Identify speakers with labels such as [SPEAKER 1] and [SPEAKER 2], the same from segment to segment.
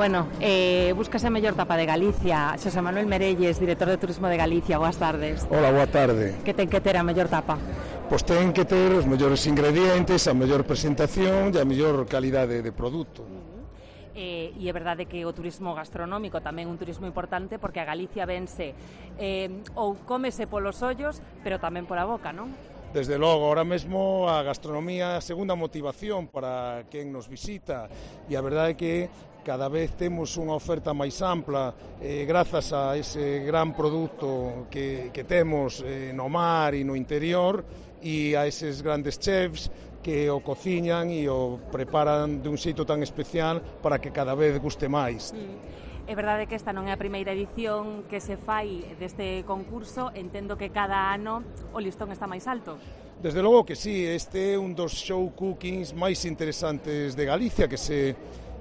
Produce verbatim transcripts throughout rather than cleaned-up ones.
[SPEAKER 1] Bueno, eh, búscase a mellor tapa de Galicia. Xosé Manuel Merelles, director de Turismo de Galicia, boas tardes.
[SPEAKER 2] Hola, boa tarde.
[SPEAKER 1] Que ten que ter a mellor tapa?
[SPEAKER 2] Pois ten que ter os mellores ingredientes, a mellor presentación e a mellor calidade de produto.
[SPEAKER 1] Eh, e é verdade que o turismo gastronómico tamén é un turismo importante porque a Galicia vense eh, ou cómese polos ollos, pero tamén pola boca, non?
[SPEAKER 2] Desde logo, ahora mesmo a gastronomía é a segunda motivación para quen nos visita e a verdade é que cada vez temos unha oferta máis ampla eh, grazas a ese gran produto que, que temos eh, no mar e no interior e a eses grandes chefs que o cociñan e o preparan dun xeito tan especial para que cada vez guste máis.
[SPEAKER 1] Mm. É verdade que esta non é a primeira edición que se fai deste concurso, entendo que cada ano o listón está máis alto.
[SPEAKER 2] Desde logo que sí, este é un dos show cookings máis interesantes de Galicia que se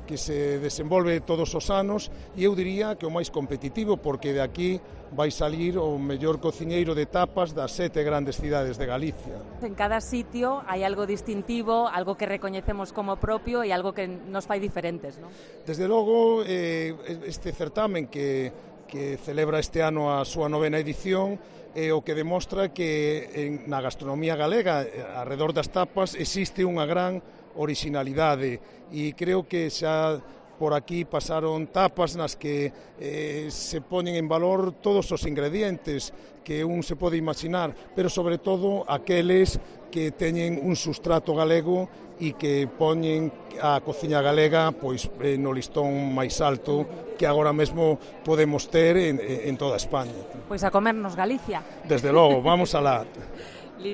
[SPEAKER 2] que se desenvolve todos os anos e eu diría que o máis competitivo porque de aquí vai salir o mellor cociñeiro de tapas das sete grandes cidades de Galicia.
[SPEAKER 1] En cada sitio hai algo distintivo, algo que recoñecemos como propio e algo que nos fai diferentes, non?
[SPEAKER 2] Desde logo, eh, este certamen que, que celebra este ano a súa novena edición é o que demostra que en, na gastronomía galega, arredor das tapas, existe unha gran orixinalidade e creo que xa por aquí pasaron tapas nas que eh, se poñen en valor todos os ingredientes que un se pode imaginar, pero sobre todo aqueles que teñen un sustrato galego e que poñen a cociña galega pois eh, no listón máis alto que agora mesmo podemos ter en, en toda España.
[SPEAKER 1] Pois a comernos Galicia.
[SPEAKER 2] Desde logo, vamos alá.